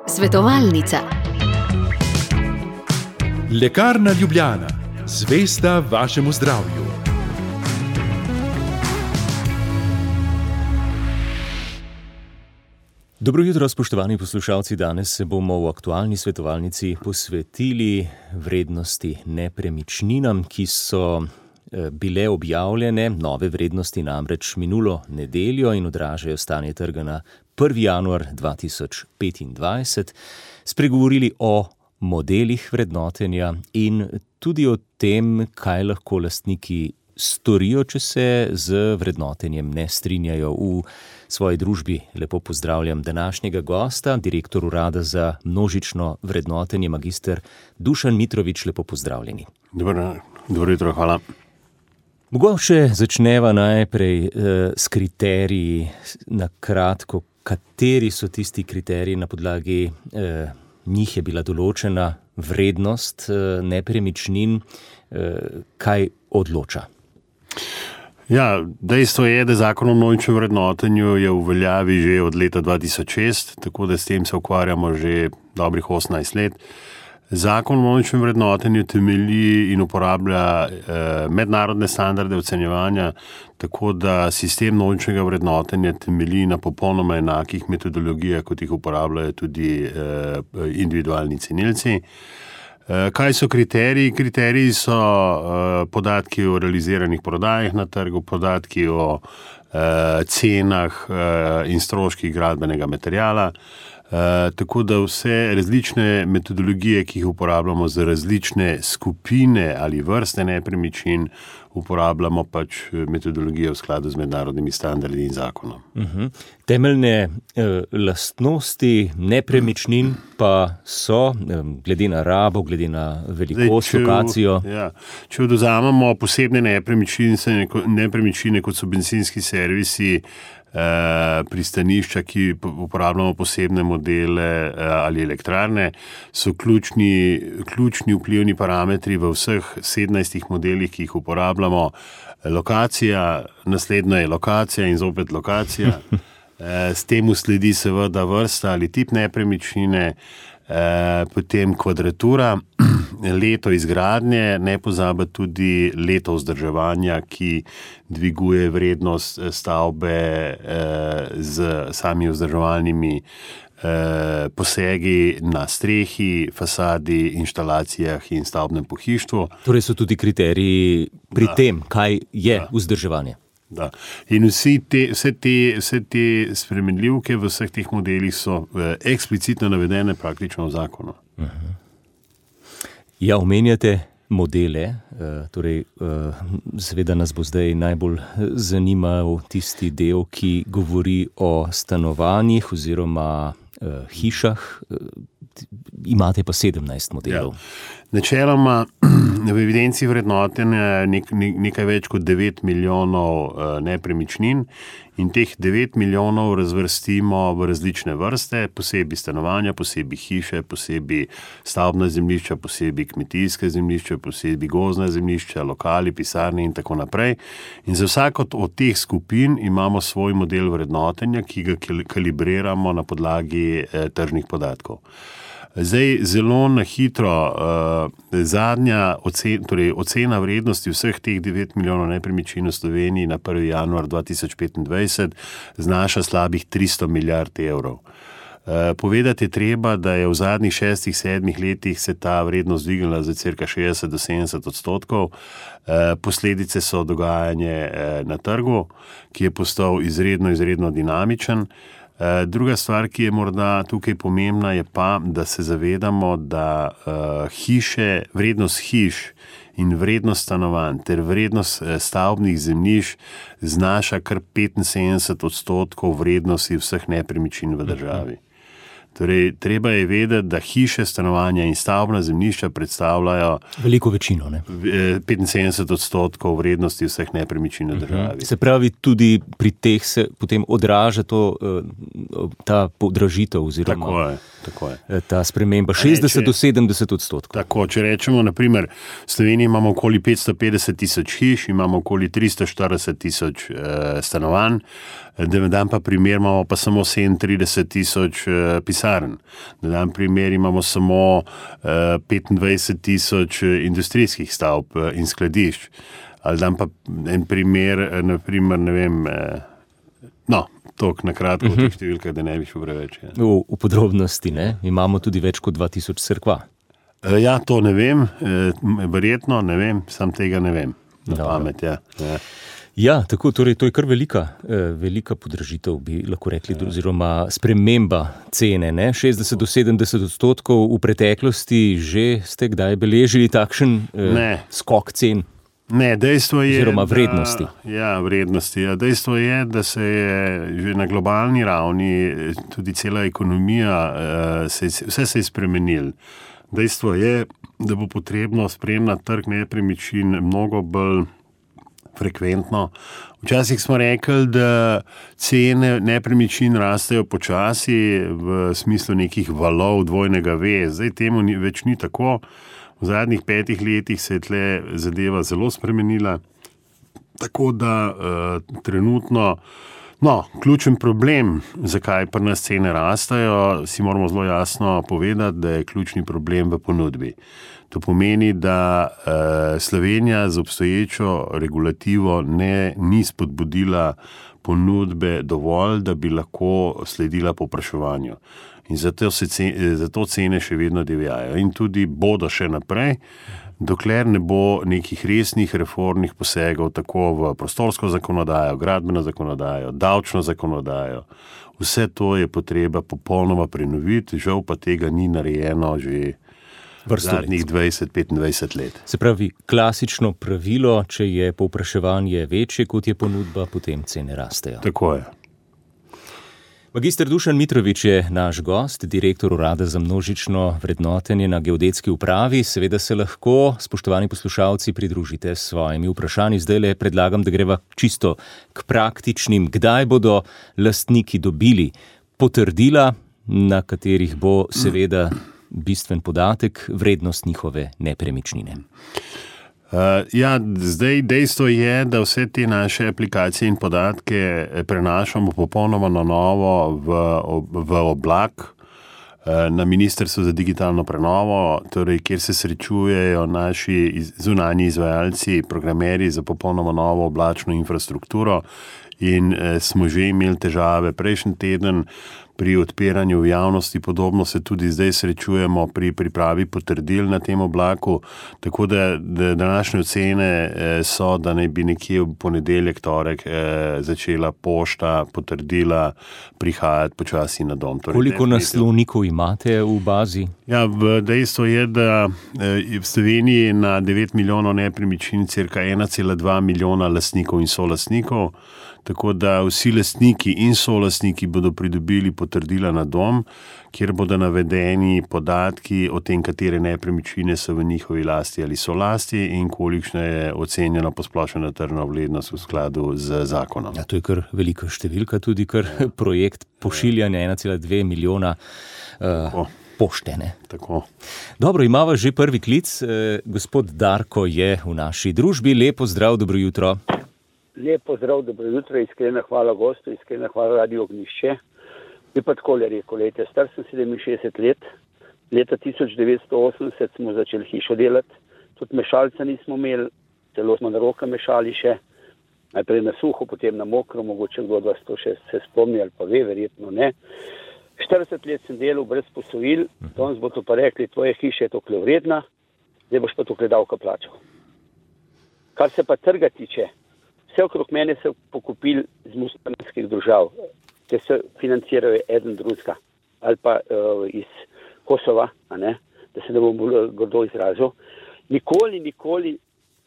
Svetovalnica. Lekarna Ljubljana, zvesta vašemu zdravju. Dobro jutro, spoštovani poslušalci. Danes se bomo v aktualni svetovalnici posvetili vrednosti nepremičninam, ki so bile objavljene, nove vrednosti namreč minulo nedeljo in odražajo stanje trga na 1. januar 2025. Spregovorili o modelih vrednotenja in tudi o tem, kaj lahko lastniki storijo, če se z vrednotenjem ne strinjajo. V svoji družbi lepo pozdravljam današnjega gosta, direktor Urada za množično vrednotenje, magister Dušan Mitrović. Lepo pozdravljeni. Dobro jutro, hvala. Mogoče začneva najprej s kriteriji. Na kratko, kateri so tisti kriteriji, na podlagi njih je bila določena vrednost nepremičnin, kaj odloča? Ja, dejstvo je, da zakon o množičnem vrednotenju je v veljavi že od leta 2006, tako da s tem se ukvarjamo že dobrih 18 let. Zakon o množičnem vrednotenju temelji in uporablja mednarodne standarde ocenjevanja, tako da sistem množičnega vrednotenja temelji na popolnoma enakih metodologijah, kot jih uporabljajo tudi individualni cenilci. Kaj so kriteriji? Kriteriji so podatki o realiziranih prodajah na trgu, podatki o cenah in stroških gradbenega materiala, tako da vse različne metodologije, ki jih uporabljamo za različne skupine ali vrste nepremičnin, uporabljamo pač metodologijo v skladu z mednarodnimi standardi in zakonom. Temeljne lastnosti nepremičnin pa so, glede na rabo, glede na velikost, lokacijo. Če odvzamemo posebne nepremičnine, kot so bencinski servisi, pristanišča, ki uporabljamo posebne modele ali elektrarne, so ključni vplivni parametri v vseh 17 modelih, ki jih uporabljamo. Lokacija, naslednja je lokacija in zopet lokacija. S tem sledi seveda vrsta ali tip nepremičnine, potem kvadratura, leto izgradnje, ne pozabiti tudi leto vzdrževanja, ki dviguje vrednost stavbe z sami vzdrževalnimi posegi na strehi, fasadi, inštalacijah in stavbnem pohištvu. Torej so tudi kriteriji pri tem, kaj je vzdrževanje. Da. In vse te spremenljivke v vseh teh modelih so eksplicitno navedene praktično v zakonu. Ja, omenjate modele, torej seveda nas bo zdaj najbolj zanimal tisti del, ki govori o stanovanjih oziroma hišah. Imate pa 17 modelov. Ja. Načeloma v evidenci vrednotenja nekaj več kot 9 milijonov nepremičnin in teh 9 milijonov razvrstimo v različne vrste, posebej stanovanja, posebej hiše, posebej stavbna zemljišča, posebej kmetijske zemljišča, posebej gozdna zemljišča, lokali, pisarne in tako naprej. In za vsako od teh skupin imamo svoj model vrednotenja, ki ga kalibriramo na podlagi tržnih podatkov. Zdaj, zelo na hitro, zadnja ocena vrednosti vseh teh 9 milijonov nepremičnin v Sloveniji na 1. januar 2025 znaša slabih 300 milijard evrov. Povedati je treba, da je v zadnjih 6-7 letih se ta vrednost dvignila za cirka 60 do 70%. Posledice so dogajanje na trgu, ki je postal izredno dinamičen. Druga stvar, ki je morda tukaj pomembna, je pa, da se zavedamo, da vrednost hiš in vrednost stanovanj ter vrednost stavbnih zemljišč znaša kar 75% vrednosti vseh nepremičnin v državi. Torej, treba je vedeti, da hiše, stanovanja in stavbna zemljišča predstavljajo veliko večino, 75% vrednosti vseh nepremičnin v državi. Se pravi, tudi pri teh se potem odraža ta podražitev oziroma tako je. Ta sprememba 60 do 70%. Tako, če rečemo, naprimer, v Sloveniji imamo okoli 550 tisoč hiš, imamo okoli 340 tisoč stanovanj. Da dam pa primer, imamo pa samo 37,000 pisarn. Da dam primer, imamo samo 25,000 industrijskih stavb in skladišč. Ali dam pa en primer, naprimer, ne vem, toliko na kratko v teh številkah, da ne bi šel preveč. Ja. V podrobnosti, ne? Imamo tudi več kot 2000 cerkva. Ja, to ne vem, verjetno ne vem, sam tega ne vem. Na pamet, ja. Ja, tako, torej to je kar velika podražitev, bi lahko rekli, oziroma sprememba cene, ne? 60 do 70% v preteklosti že ste kdaj beležili takšen skok cen? Ne, dejstvo je, oziroma vrednosti. Vrednosti. Ja, dejstvo je, da se je že na globalni ravni tudi cela ekonomija, vse se je spremenil. Dejstvo je, da bo potrebno spremljati trg nepremičnin mnogo bolj frekventno. Včasih smo rekli, da cene nepremičnin rastejo počasi v smislu nekih valov dvojnega V. Zdaj temu več ni tako. V zadnjih 5 letih se je tle zadeva zelo spremenila, tako da trenutno, ključen problem, zakaj pri nas cene rastajo, si moramo zelo jasno povedati, da je ključni problem v ponudbi. To pomeni, da Slovenija z obstoječo regulativo ni spodbudila ponudbe dovolj, da bi lahko sledila povpraševanju. In zato cene še vedno divjajo in tudi bodo še naprej, dokler ne bo nekih resnih reformnih posegov tako v prostorsko zakonodajo, gradbeno zakonodajo, davčno zakonodajo. Vse to je potreba popolnoma prenoviti, žal pa tega ni narejeno že zadnjih 20-25 let. Se pravi, klasično pravilo, če je povpraševanje večje, kot je ponudba, potem cene rastejo. Tako je. Magister Dušan Mitrović je naš gost, direktor Urada za množično vrednotenje na Geodetski upravi. Seveda se lahko, spoštovani poslušalci, pridružite s svojimi vprašanji. Zdajle predlagam, da greva čisto k praktičnim. Kdaj bodo lastniki dobili potrdila, na katerih bo seveda bistven podatek, vrednost njihove nepremičnine? Zdaj dejstvo je, da vse te naše aplikacije in podatke prenašamo popolnoma na novo v oblak na Ministrstvu za digitalno prenovo, torej kjer se srečujejo naši zunanji izvajalci, programerji za popolnoma novo oblačno infrastrukturo in smo že imeli težave prejšnji teden pri odpiranju v javnosti, podobno se tudi zdaj srečujemo pri pripravi potrdil na tem oblaku, tako da današnje ocene so, da naj bi nekje v ponedeljek, torek začela pošta potrdila prihajati počasi na dom. Torej, koliko naslovnikov imate v bazi? Ja, dejstvo je, da v Sloveniji na 9 milijonov nepremičnin cirka 1,2 milijona lastnikov in solastnikov, tako da vsi lastniki in solastniki bodo pridobili potrdila na dom, kjer bodo navedeni podatki o tem, katere nepremičnine so v njihovi lasti ali so lasti in kolikšna je ocenjena posplošena tržna vrednost v skladu z zakonom. Ja, to je kar velika številka, tudi kar projekt pošiljanja 1,2 milijona poštene. Tako. Dobro, imava že prvi klic. Gospod Darko je v naši družbi. Lepo zdrav, dobro jutro. Lepo zdrav, dobro jutro, iskrena hvala gostu, iskrena hvala Radio Ognjišče. Bi pa takole rekel, star sem 67 let, leta 1980 smo začeli hišo delati, tudi mešalca nismo imeli, celo smo na roke mešali še, najprej na suho, potem na mokro, mogoče kdo od vas to še se spomni ali pa ve, verjetno ne. 40 let sem delal brez posojil, danes bo to pa rekli, tvoja hiša je tokle vredna, zdaj boš pa tokle davka plačal. Kar se pa trga tiče, vse okrog mene se pokupili z muslimanskih držav, ki se financirajo eden drugega, ali pa iz Kosova, da se ne bom bolj grdo izrazil. Nikoli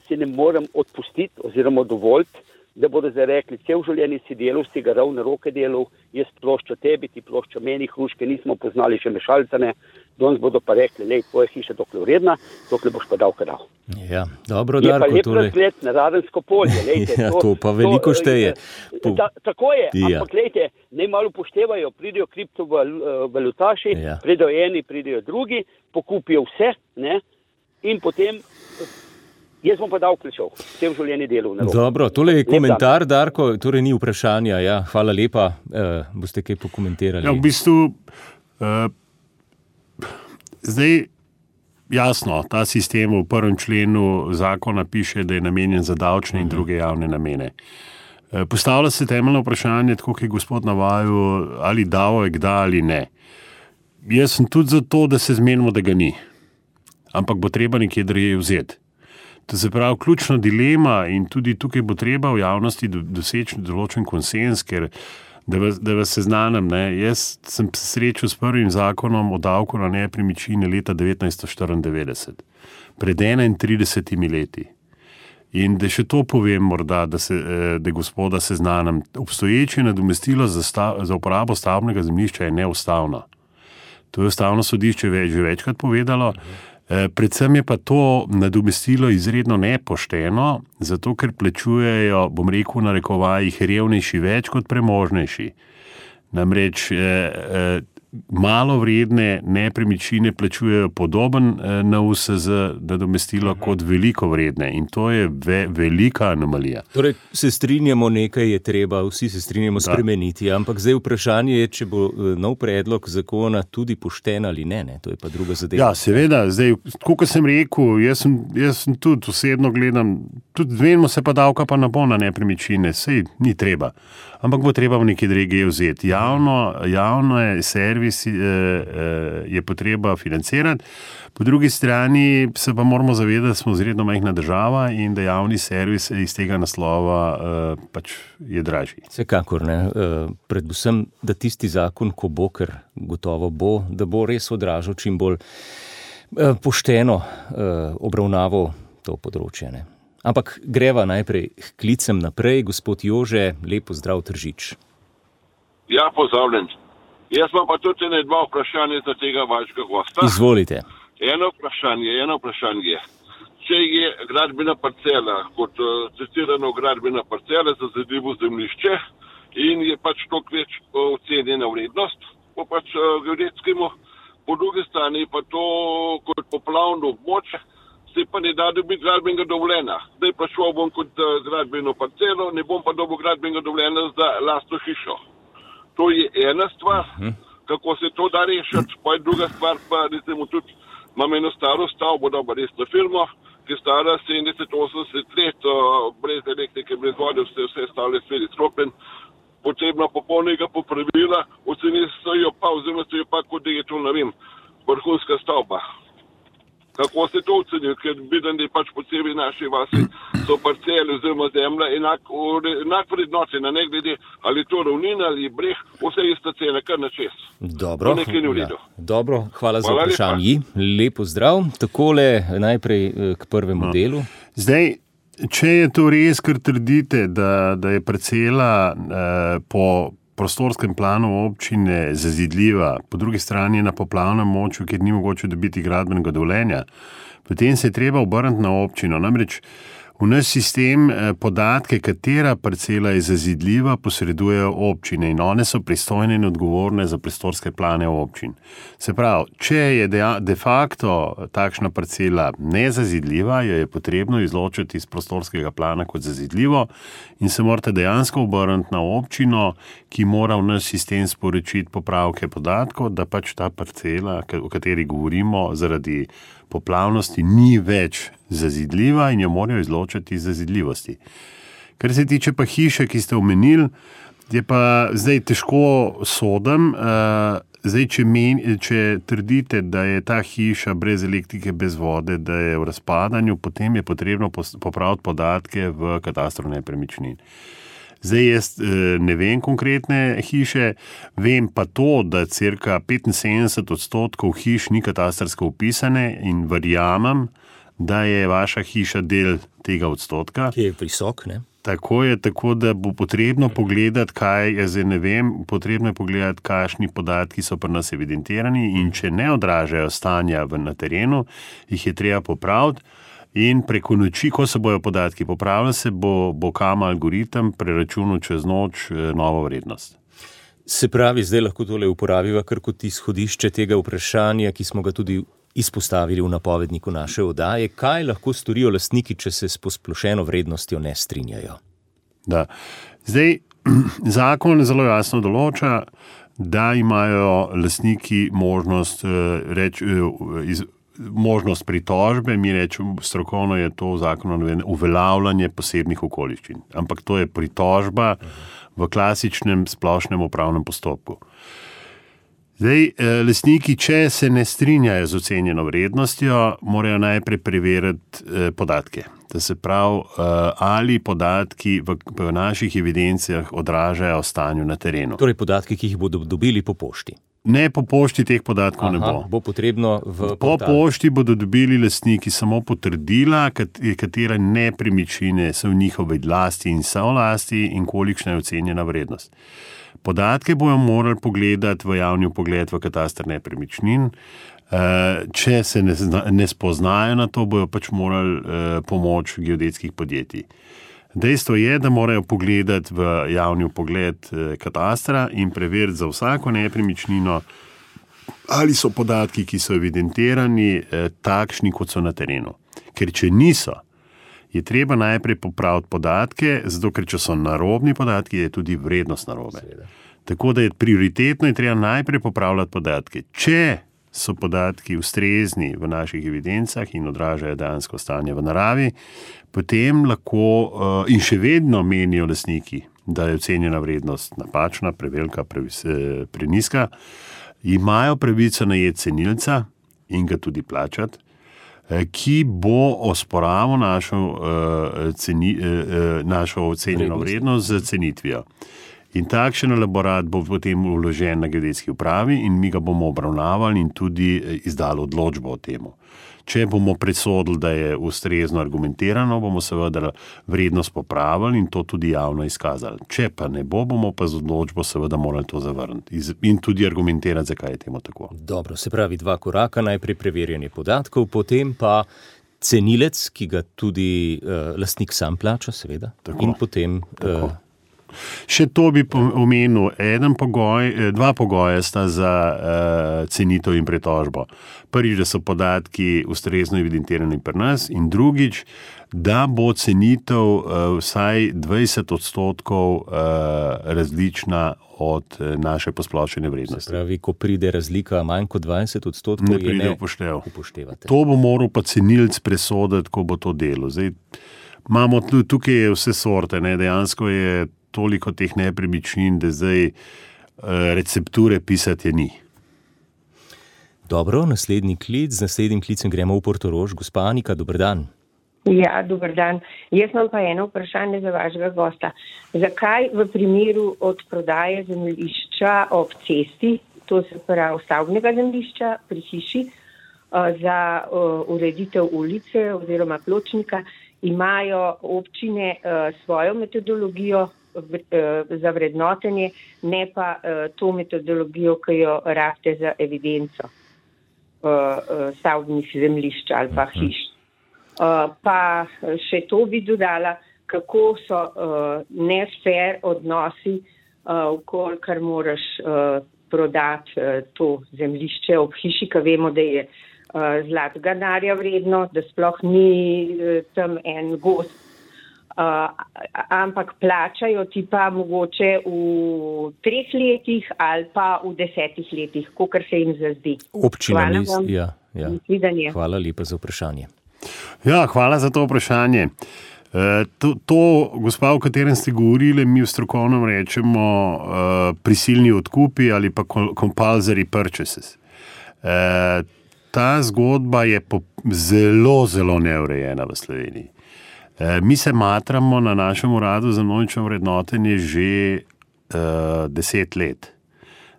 si ne morem odpustiti oziroma dovoliti, da bodo zdaj rekli, cel življenje si delal, si ga ravno roke delal, jaz ploščo tebi, ti ploščo meni, hruške nismo poznali še mešalcane, danes bodo pa rekli, lej, tvoja hiša dokle vredna, dokle boš pa davka dal. Ja, dobro, Darko, je pa lep razgled na Radensko polje, lejte. Ja, to pa veliko šteje. Tako je, ampak lejte, naj malo upoštevajo, pridejo kriptovalutaši, pridejo eni, pridejo drugi, pokupijo vse, ne, in potem Jaz bom pa davek plačal, v tem življenju delal. Dobro, tole je komentar, Darko, torej ni vprašanja. Ja, hvala lepa, boste kaj pokomentirali. Ja, v bistvu, zdaj jasno, ta sistem v 1. členu zakona piše, da je namenjen za davčne in druge javne namene. Postavlja se temeljno vprašanje, tako kot je gospod navajal, ali davek da ali ne. Jaz sem tudi za to, da se zmenimo, da ga ni. Ampak bo treba nekje drugje vzeti. To se pravi, ključna dilema in tudi tukaj bo treba v javnosti doseči določen konsens, ker da vas seznanim, jaz sem se srečal s prvim zakonom o davku na nepremičnine leta 1994, pred 31 leti. In da še to povem morda, da gospoda seznanim, obstoječe nadomestilo za uporabo stavbnega zemljišča je neustavno. To je ustavno sodišče že večkrat povedalo. Predvsem je pa to nadomestilo izredno nepošteno, zato ker plačujejo, bom rekel, na narekovajih revnejši več kot premožnejši. Namreč malo vredne nepremičnine plačujejo podoben NUSZ nadomestilo kot veliko vredne in to je velika anomalija. Torej se strinjamo, nekaj je treba, vsi se strinjamo spremeniti, ampak zdaj vprašanje je, če bo nov predlog zakona tudi pošten ali ne, to je pa druga zadeva. Ja, seveda, zdaj, tako kot sem rekel, jaz sem tudi osebno gledam, tudi zmenimo se pa davka pa ne bo na nepremičnine, sej ni treba. Ampak bo treba v neki drugi vzeti. Javno servisi je potreba financirati, po drugi strani se pa moramo zavedati, da smo izredno majhna država in da javni servis iz tega naslova pač je dražji. Vsekakor ne. Predvsem, da tisti zakon, ko bo, ker gotovo bo, da bo res odražal čim bolj pošteno obravnaval to področje. Ne? Ampak greva najprej k klicem naprej. Gospod Jože, lepo zdrav, Tržič. Ja, pozdravljen. Jaz imam pa tudi dva vprašanja za tega vašega gosta. Izvolite. Eno vprašanje. Če je gradbena parcela, kot citirano gradbena parcela za zazidljivo zemljišče in je pač toliko več ocenjena vrednost, po pač geodetskemu, po drugi strani pa to kot poplavno območje, se pa ne da dobiti gradbenega dovoljenja. Zdaj pa šel bom kot gradbeno parcelo, ne bom pa dobil gradbenega dovoljenja za lastno hišo. To je ena stvar, kako se to da rešiti, pa je druga stvar, pa recimo tudi imam eno staro stavbo, dobro resno firmo, ki je stara 70-80 let, brez elektrike, brez vode, vse stavlje svedi sklopljen, potrebna popolnega popravila, ocenili so jo pa, oziroma so jo pa, kot da je to, ne vem, vrhunska stavba. Kako se to ocenil, ker vidim, da je pač po celi naši vasi so parcele oziroma zemlja enak vrednotena, ne glede ali to ravnina ali breh, vse ista cena, kar na čez. Dobro, dobro, hvala za vprašanje. Lepo zdrav. Takole najprej k prvemu delu. Zdaj, če je to res, kar trdite, da je parcela po prostorskem planu občine zazidljiva, po drugi strani na poplavnem območju, kjer ni mogoče dobiti gradbenega dovoljenja, potem se je treba obrniti na občino. Namreč v naš sistem podatke, katera parcela je zazidljiva, posredujejo občine in one so pristojne in odgovorne za prostorske plane občin. Se pravi, če je de facto takšna parcela nezazidljiva, jo je potrebno izločiti iz prostorskega plana kot zazidljivo in se morate dejansko obrniti na občino, ki mora v naš sistem sporočiti popravke podatkov, da pač ta parcela, o kateri govorimo, zaradi poplavnosti ni več zazidljiva in jo morajo izločiti iz zazidljivosti. Kar se tiče pa hiše, ki ste omenili, je pa zdaj težko sodim. Zdaj, če trdite, da je ta hiša brez elektrike, brez vode, da je v razpadanju, potem je potrebno popraviti podatke v katastru nepremičnin. Zdaj jaz ne vem konkretne hiše, vem pa to, da cirka 75% hiš ni katastrsko vpisane in verjamem, da je vaša hiša del tega odstotka. Ki je visok, ne? Tako je, tako da bo potrebno pogledati, potrebno je pogledati, kakšni podatki so pri nas evidentirani in če ne odražajo stanja na terenu, jih je treba popraviti. In preko noči, ko se bojo podatki popravili, se bo KAMA algoritem preračunal čez noč novo vrednost. Se pravi, zdaj lahko tole uporabiva kar kot izhodišče tega vprašanja, ki smo ga tudi izpostavili v napovedniku naše oddaje. Kaj lahko storijo lastniki, če se s posplošeno vrednostjo ne strinjajo? Da. Zdaj, zakon zelo jasno določa, da imajo lastniki možnost pritožbe, mi rečemo, strokovno je to v zakonu uveljavljanje posebnih okoliščin. Ampak to je pritožba v klasičnem splošnem upravnem postopku. Zdaj, lastniki, če se ne strinjajo z ocenjeno vrednostjo, morajo najprej preveriti podatke. To se pravi, ali podatki v naših evidencah odražajo stanju na terenu. Torej podatki, ki jih bodo dobili po pošti. Ne, po pošti teh podatkov ne bo. Bo potrebno po pošti bodo dobili lastniki samo potrdila, katere nepremičnine so v njihovi lasti in solasti in kolikšna je ocenjena vrednost. Podatke bojo morali pogledati v javni vpogled v kataster nepremičnin. Če se ne spoznajo na to, bojo pač morali pomoč geodetskih podjetij. Dejstvo je, da morajo pogledati v javni vpogled katastra in preveriti za vsako nepremičnino, ali so podatki, ki so evidentirani, takšni, kot so na terenu. Ker če niso, je treba najprej popraviti podatke, zato ker če so narobni podatki, je tudi vrednost narobe. Tako da je prioritetno treba najprej popravljati podatke. Če so podatki ustrezni v naših evidencah in odražajo dejansko stanje v naravi, potem lahko in še vedno menijo lastniki, da je ocenjena vrednost napačna, prevelika, prenizka, imajo pravico najeti cenilca in ga tudi plačati, ki bo osporaval našo ocenjeno vrednost z cenitvijo. In takšen elaborat bo potem vložen na geodetski upravi in mi ga bomo obravnavali in tudi izdali odločbo o temu. Če bomo presodili, da je ustrezno argumentirano, bomo seveda vrednost popravili in to tudi javno izkazali. Če pa ne bo, bomo pa z odločbo seveda morali to zavrniti in tudi argumentirati, zakaj je temu tako. Dobro, se pravi 2 koraka, najprej preverjanje podatkov, potem pa cenilec, ki ga tudi lastnik sam plača, seveda. Tako. In potem... Še to bi omenil, 2 pogoja sta za cenitev in pritožbo. Prvič, da so podatki ustrezno evidentirani pri nas in drugič, da bo cenitev vsaj 20% različna od naše posplošene vrednosti. Se pravi, ko pride razlika manj kot 20%, ne pride upoštevate. To bo moral pa cenilc presoditi, ko bo to delo. Zdaj, imamo tukaj vse sorte, ne? Dejansko je toliko teh nepremičnin, da zdaj recepture pisati je ni. Dobro, naslednji klic. Z naslednjim klicem gremo v Portorož. Gospa Anika, dober dan. Ja, dober dan. Jaz imam pa eno vprašanje za vašega gosta. Zakaj v primeru odprodaje zemljišča ob cesti, to se pravi stavbnega zemljišča pri hiši, za ureditev ulice oziroma pločnika, imajo občine svojo metodologijo za vrednotenje, ne pa to metodologijo, ki jo rabite za evidenco stavbnih zemljišč ali pa hiš. Pa še to bi dodala, kako so nefair odnosi, kolikor moraš prodati to zemljišče ob hiši, ki vemo, da je zlatega denarja vredno, da sploh ni tam en gozd. Ampak plačajo ti pa mogoče v 3 letih ali pa v 10 letih, kakor se jim zazdi. Hvala vam. Ja. Hvala lepa za vprašanje. Ja, hvala za to vprašanje. To, gospa, o katerem ste govorili, mi v strokovnem rečemo prisilni odkupi ali pa compulsory purchases. Ta zgodba je zelo, zelo neurejena v Sloveniji. Mi se matramo na našem uradu za množično vrednotenje že 10 let,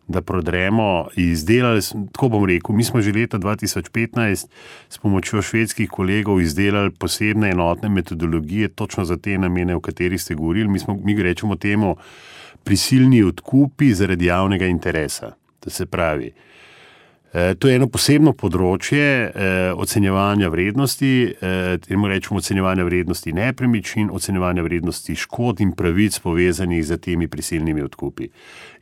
da prodremo izdelali, tako bom rekel, mi smo že leta 2015 s pomočjo švedskih kolegov izdelali posebne enotne metodologije točno za te namene, o katerih ste govorili. Mi rečemo temu prisilni odkupi zaradi javnega interesa. To se pravi, to je eno posebno področje ocenjevanja vrednosti, temu rečemo ocenjevanja vrednosti nepremičnin, ocenjevanja vrednosti škod in pravic povezanih z temi prisilnimi odkupi.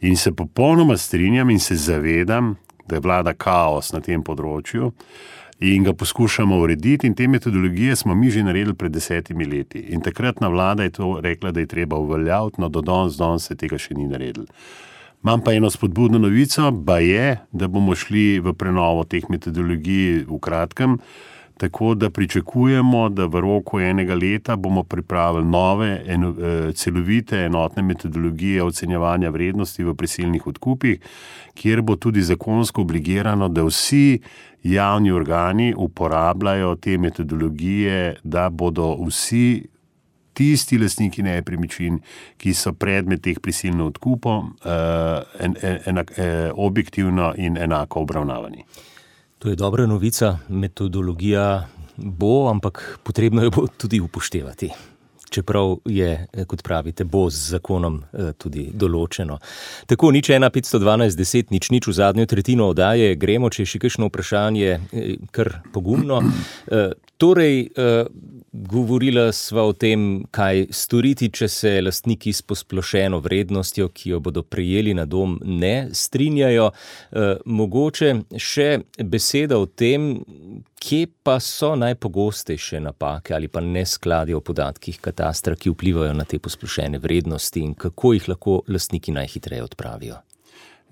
In se popolnoma strinjam in se zavedam, da je vlada kaos na tem področju in ga poskušamo urediti, in te metodologije smo mi že naredili pred 10 leti. In takratna vlada je to rekla, da je treba uveljaviti, no do danes se tega še ni naredili. Imam pa eno spodbudno novico, da bomo šli v prenovo teh metodologij v kratkem, tako da pričakujemo, da v roku 1 leta bomo pripravili nove, celovite, enotne metodologije ocenjevanja vrednosti v prisilnih odkupih, kjer bo tudi zakonsko obligirano, da vsi javni organi uporabljajo te metodologije, da bodo vsi tisti lastniki nepremičnin, ki so predmet teh prisilnih odkupov, objektivno in enako obravnavani. To je dobra novica, metodologija bo, ampak potrebno jo bo tudi upoštevati. Čeprav je, kot pravite, bo z zakonom tudi določeno. Tako, 01512 10 00 v zadnjo tretjino oddaje gremo, če je še kakšno vprašanje, kar pogumno. Torej, govorila sva o tem, kaj storiti, če se lastniki s posplošeno vrednostjo, ki jo bodo prejeli na dom, ne strinjajo. Mogoče še beseda o tem, kje pa so najpogostejše napake ali pa neskladje v podatkih katastra, ki vplivajo na te posplošene vrednosti in kako jih lahko lastniki najhitreje odpravijo.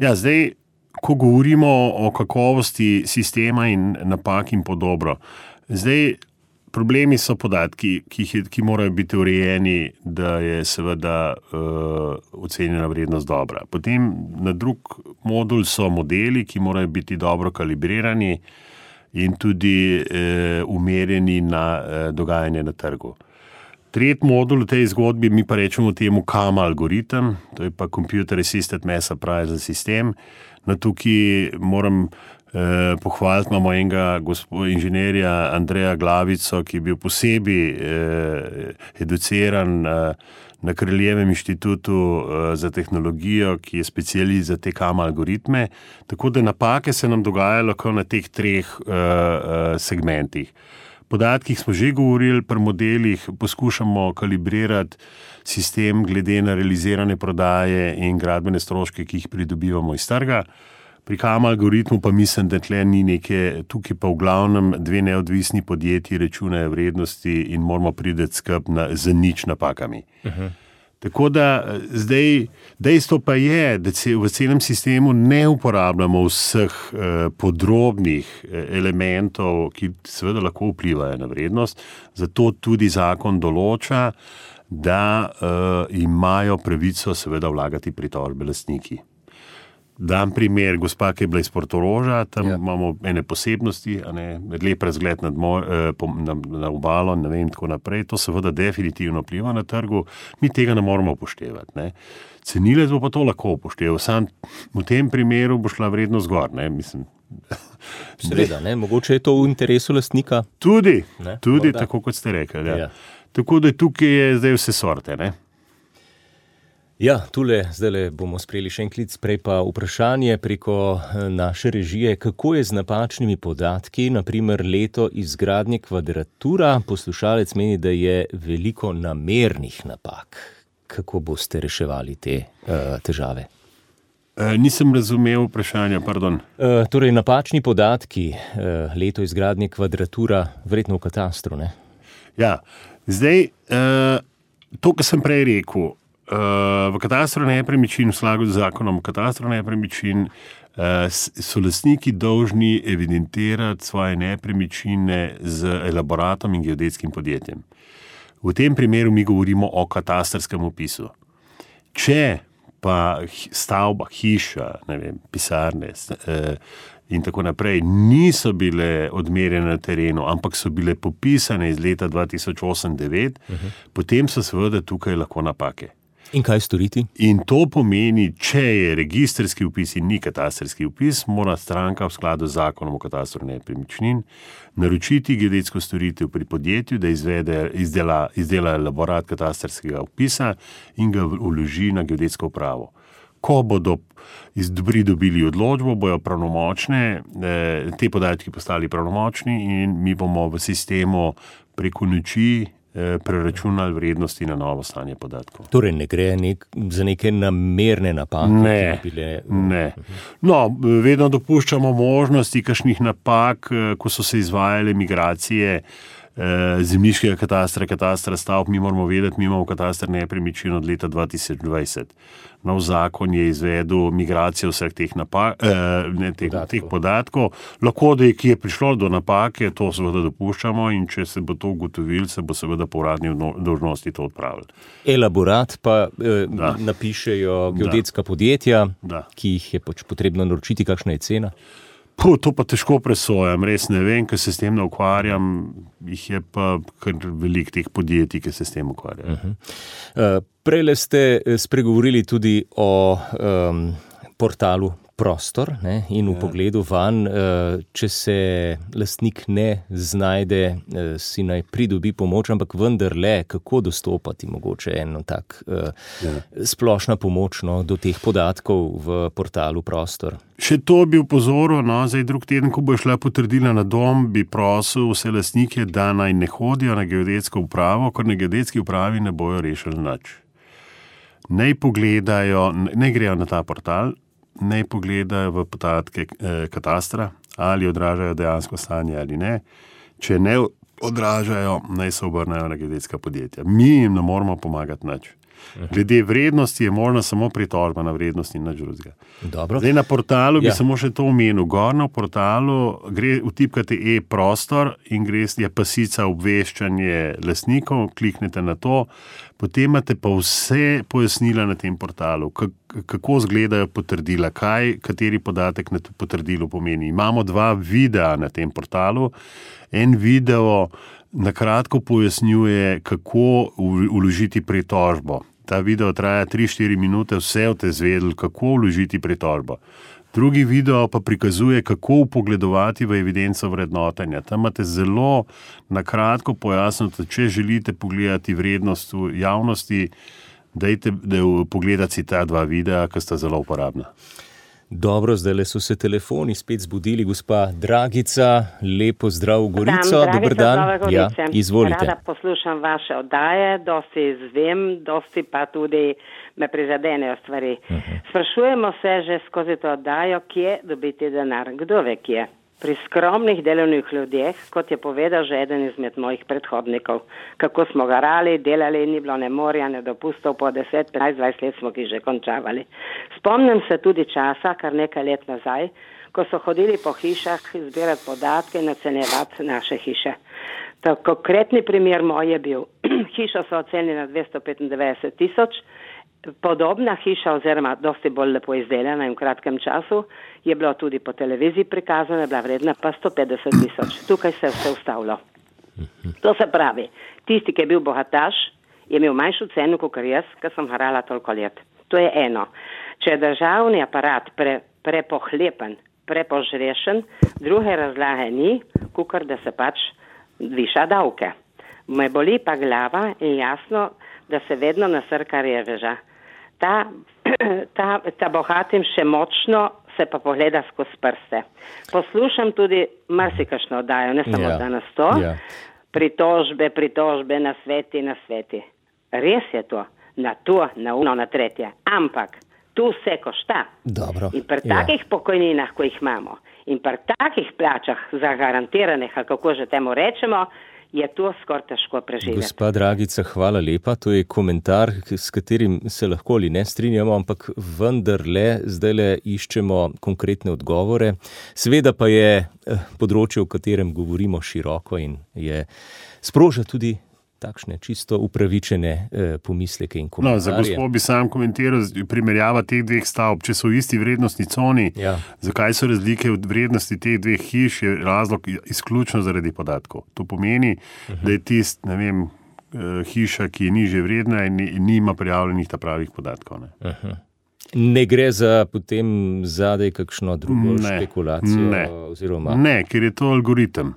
Ja, zdaj, ko govorimo o kakovosti sistema in napak in podobno, zdaj, problemi so podatki, ki morajo biti urejeni, da je seveda ocenjena vrednost dobra. Potem na drug modul so modeli, ki morajo biti dobro kalibrirani in tudi umerjeni na dogajanje na trgu. Tretji modul v tej zgodbi, mi pa rečemo temu KAMA algoritem, to je pa Computer Assisted Mass Appraisal System. No, tukaj moram pohvaliti, imamo enega inženirja Andreja Glavico, ki je bil posebej educiran na Kraljevem inštitutu za tehnologijo, ki je specialist za te KAMA algoritme, tako da napake se nam dogajajo lahko na teh 3 segmentih. Podatkih smo že govorili, pri modelih poskušamo kalibrirati sistem glede na realizirane prodaje in gradbene stroške, ki jih pridobivamo iz trga. Pri KAMA algoritmu pa mislim, da tle ni neke, tukaj pa v glavnem 2 neodvisni podjetji računajo vrednosti in moramo priti skupaj z nič napakami. Tako da zdaj dejstvo pa je, da v celem sistemu ne uporabljamo vseh podrobnih elementov, ki seveda lahko vplivajo na vrednost, zato tudi zakon določa, da imajo pravico seveda vlagati pritožbe lastniki. Dam primer, gospa, ki je bila iz Portoroža, tam imamo ene posebnosti, lep razgled na obalo, ne vem, tako naprej. To seveda definitivno vpliva na trgu, mi tega ne moramo upoštevati. Ne. Cenilec bo pa to lahko upošteval, sam v tem primeru bo šla vrednost gor, ne, mislim. Seveda, ne, mogoče je to v interesu lastnika. Tudi tako, kot ste rekli. Ja. Tako da tukaj je zdaj vse sorte, ne. Ja, zdajle bomo sprejeli še en klic, prej pa vprašanje preko naše režije, kako je z napačnimi podatki, naprimer leto izgradnje Kvadratura. Poslušalec meni, da je veliko namernih napak. Kako boste reševali te težave? Nisem razumel vprašanja, pardon. Torej, napačni podatki, leto izgradnje Kvadratura, verjetno v katastru, ne? Ja, zdaj, to, kar sem prej rekel, v katastru nepremičnin, v skladu z zakonom o katastru nepremičnin, so lastniki dolžni evidentirati svoje nepremičnine z elaboratom in geodetskim podjetjem. V tem primeru mi govorimo o katastrskem opisu. Če pa stavba, hiša, ne vem, pisarne in tako naprej niso bile odmerjene na terenu, ampak so bile popisane iz leta 2008-2009, potem so seveda tukaj lahko napake. In kaj storiti? In to pomeni, če je registrski vpis in ni katastrski vpis, mora stranka v skladu z zakonom o katastru nepremičnin naročiti geodetsko storitev pri podjetju, da izdela elaborat katastrskega vpisa in ga vloži na geodetsko upravo. Ko bodo pridobili odločbo, bojo pravnomočne, te podatki postali pravnomočni in mi bomo v sistemu preko noči preračunali vrednosti na novo stanje podatkov. Torej ne gre za neke namerne napake? Ne. No, vedno dopuščamo možnosti kakšnih napak, ko so se izvajale migracije zemljiškega katastra stavb. Mi moramo vedeti, mi imamo katastar nepremičnin od leta 2020. Nov zakon je izvedel migracijo vseh teh teh podatkov. Lahko, da je prišlo do napake, to seveda dopuščamo in če se bo to ugotovilo, se bo seveda po uradni dolžnosti to odpravilo. Elaborat pa napišejo geodetska podjetja, ki jih je potrebno naročiti, kakšna je cena? To pa težko presojam, res ne vem, ker se s tem ne ukvarjam, jih je pa kar veliko teh podjetij, ki se s tem ukvarjajo. Prejle ste spregovorili tudi o portalu Prostor, ne, in v pogledu vanj, če se lastnik ne znajde, si naj pridobi pomoč, ampak vendarle, kako dostopati mogoče eno tak splošna pomoč do teh podatkov v portalu Prostor? Še to bi upozoril, zdaj drug teden, ko bo šla potrdila na dom, bi prosil vse lastnike, da naj ne hodijo na geodetsko upravo, ker na geodetski upravi ne bojo rešili nič. Naj pogledajo, ne grejo na ta portal, naj pogledajo v podatke katastra, ali odražajo dejansko stanje ali ne. Če ne odražajo, naj se obrnejo na geodetska podjetja. Mi jim ne moramo pomagati nič. Glede vrednosti je možna samo pritožba na vrednosti in nič drugega. Zdaj na portalu bi samo še to omenil. Gor na portalu vtipkate e-prostor in je pasica obveščanje lastnikov, kliknete na to, potem imate pa vse pojasnila na tem portalu, kako izgledajo potrdila, kateri podatek na potrdilu pomeni. Imamo 2 videa na tem portalu. En video na kratko pojasnjuje, kako vložiti pritožbo. Ta video traja 3-4 minute, vse boste izvedeli, kako vložiti pritožbo. Drugi video pa prikazuje, kako vpogledovati v evidenco vrednotenja. Tam imate zelo na kratko pojasnjeno, če želite pogledati vrednost v javnosti, dajte pogledati si ta 2 videa, ki sta zelo uporabna. Dobro, zdaj so se telefoni spet zbudili. Gospa Dragica, lepo zdrav v Gorico. Dober dan. Ja, izvolite. Rada poslušam vaše oddaje, dosti izvem, dosti pa tudi me prizadenejo stvari. Sprašujemo se že skozi to oddajo, kje dobiti denar. Kdo ve kje? Pri skromnih delovnih ljudeh, kot je povedal že eden izmed mojih predhodnikov. Kako smo garali, delali, ni bilo ne morja, ne dopustov, po 10, 15, 20 let smo ki že končavali. Spomnim se tudi časa, kar nekaj let nazaj, ko so hodili po hišah zbirati podatke in ocenjevati naše hiše. Konkretni primer moj je bil, hišo so ocenili na 295,000, podobna hiša oziroma dosti bolj lepo izdelana in v kratkem času je bilo tudi po televiziji prikazana, je bila vredna pa 150,000. Tukaj se je vse ustavilo. To se pravi, tisti, ki je bil bogataš, je imel manjšo ceno kot jaz, ker sem harala toliko let. To je eno. Če je državni aparat prepohlepen, prepožrešen, druge razlage ni, kakor da se pač viša davke. Me boli pa glava in jasno, da se vedno nasrka reveža. Ta bogatim še močno se pa pogleda skozi prste. Poslušam tudi marsikašno oddajo, ne samo danes to. Pritožbe, na sveti. Res je to, na to, na uno, na tretje. Ampak tu vse košta. Dobro. In pri takih pokojninah, ko jih imamo, in pri takih plačah zagarantiranih, ali kako že temu rečemo, je to skoraj težko preživeti. Gospa Dragica, hvala lepa. To je komentar, s katerim se lahko ali ne strinjamo, ampak vendarle zdajle iščemo konkretne odgovore. Seveda pa je področje, o katerem govorimo, široko in sproža tudi takšne čisto upravičene pomisleke in komentarje. Za gospod bi sam komentiral primerjava teh 2 stavb. Če so v isti vrednostni coni, zakaj so razlike od vrednosti teh 2 hiš, je razlog izključno zaradi podatkov. To pomeni, da je hiša, ki je nižje vredna in nima prijavljenih ta pravih podatkov. Ne gre za potem zadaj kakšno drugo špekulacijo? Ne, ker je to algoritem.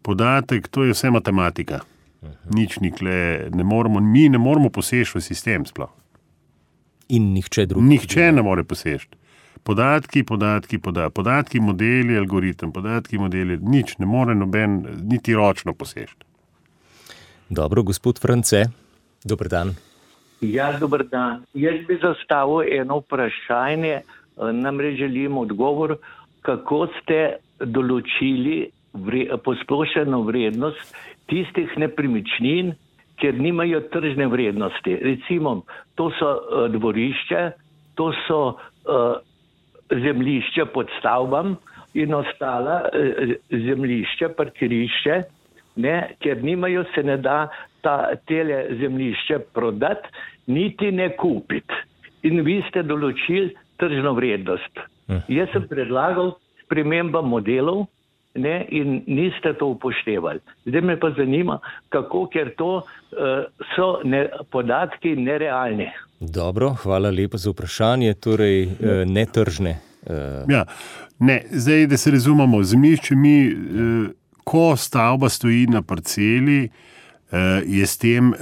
Podatek, to je vse matematika. Nič nikle, mi ne moramo poseči v sistem sploh. In nihče drug. Nihče ne more poseči. Podatki, modeli, algoritem, nič ne more noben niti ročno poseči. Dobro, gospod France, dober dan. Ja, dober dan. Jaz bi zastavil eno vprašanje, namreč želim odgovor, kako ste določili posplošeno vrednost tistih nepremičnin, ker nimajo tržne vrednosti. Recimo, to so dvorišče, to so zemljišče pod stavbam in ostala zemljišče, parkirišče, ker nimajo, se ne da tele zemljišče prodati, niti ne kupiti. In vi ste določili tržno vrednost. Jaz sem predlagal sprememba modelov, in niste to upoštevali. Zdaj me pa zanima, kako, ker to so podatki nerealni. Dobro, hvala lepa za vprašanje, torej netržne. Ja, zdaj, da se razumemo, zemljišče ko stavba stoji na parceli, je s tem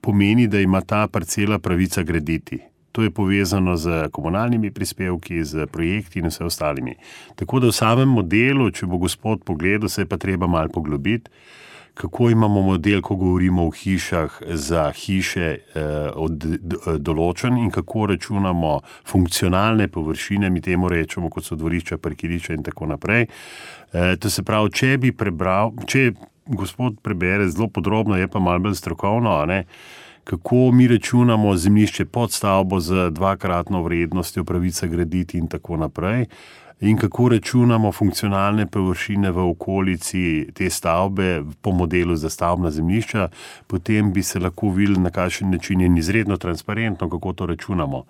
pomeni, da ima ta parcela pravica graditi. To je povezano z komunalnimi prispevki, z projekti in vse ostalimi. Tako da v samem modelu, če bo gospod pogledal, se je pa treba malo poglobiti, kako imamo model, ko govorimo o hišah za hiše določen in kako računamo funkcionalne površine, mi temu rečemo, kot so dvorišča, parkirišča in tako naprej. To se pravi, če gospod prebere zelo podrobno, je pa malo bolj strokovno, kako mi računamo zemljišče pod stavbo z 2-kratno vrednostjo, pravica graditi in tako naprej, in kako računamo funkcionalne površine v okolici te stavbe po modelu za stavbna zemljišča, potem bi se lahko videli, na kakšen način je izredno transparentno, kako to računamo.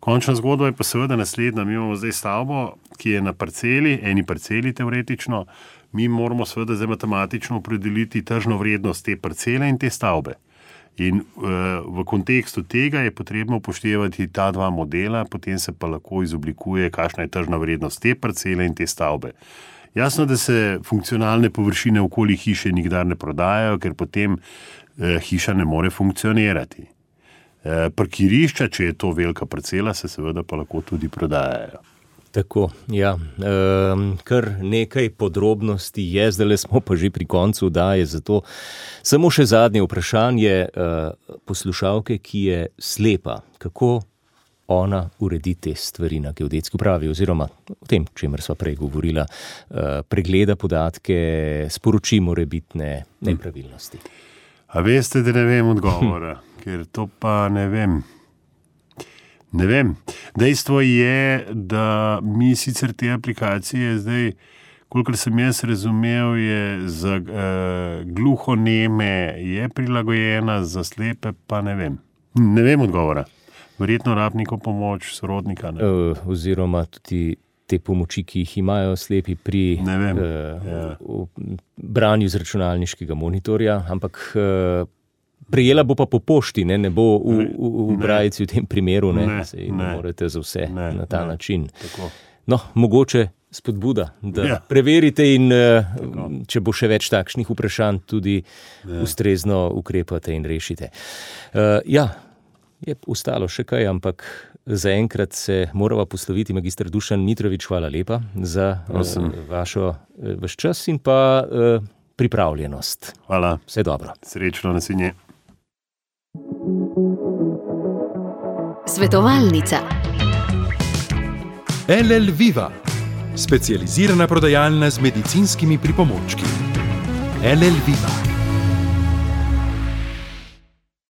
Končna zgodba je pa seveda naslednja. Mi imamo zdaj stavbo, ki je na parceli, eni parceli teoretično, mi moramo seveda zdaj matematično opredeliti tržno vrednost te parcele in te stavbe. In v kontekstu tega je potrebno upoštevati ta dva modela, potem se pa lahko izoblikuje, kakšna je tržna vrednost te parcele in te stavbe. Jasno, da se funkcionalne površine okoli hiše nikdar ne prodajajo, ker potem hiša ne more funkcionirati. Parkirišča, če je to velika parcela, se seveda pa lahko tudi prodajajo. Tako, ja. Kar nekaj podrobnosti je, zdaj smo pa že pri koncu oddaje, zato samo še zadnje vprašanje poslušalke, ki je slepa. Kako ona uredi te stvari na geodetski upravi, oziroma o tem, čemer sva prej govorila, pregleda podatke, sporoči morebitne nepravilnosti? A veste, da ne vem odgovora, ker to pa ne vem. Ne vem. Dejstvo je, da mi sicer te aplikacije zdaj, kolikor sem jaz razumel, je za gluhoneme je prilagojena, za slepe pa ne vem. Ne vem odgovora. Verjetno rab neko pomoč sorodnika. Oziroma tudi te pomoči, ki jih imajo slepi pri branju z računalniškega monitorja, ampak prejela bo pa po pošti, ne bo v brajici v tem primeru, ne morete za vse na ta način. Tako. No, mogoče spodbuda, da preverite in če bo še več takšnih vprašanj, tudi ustrezno ukrepate in rešite. Je ostalo še kaj, ampak zaenkrat se morava posloviti. Magister Dušan Mitrović, hvala lepa za vaš čas in pa pripravljenost. Hvala. Vse dobro. Srečno, naslednje. Svetovalnica. LL Viva, specializirana prodajalna z medicinskimi pripomočki. LL Viva.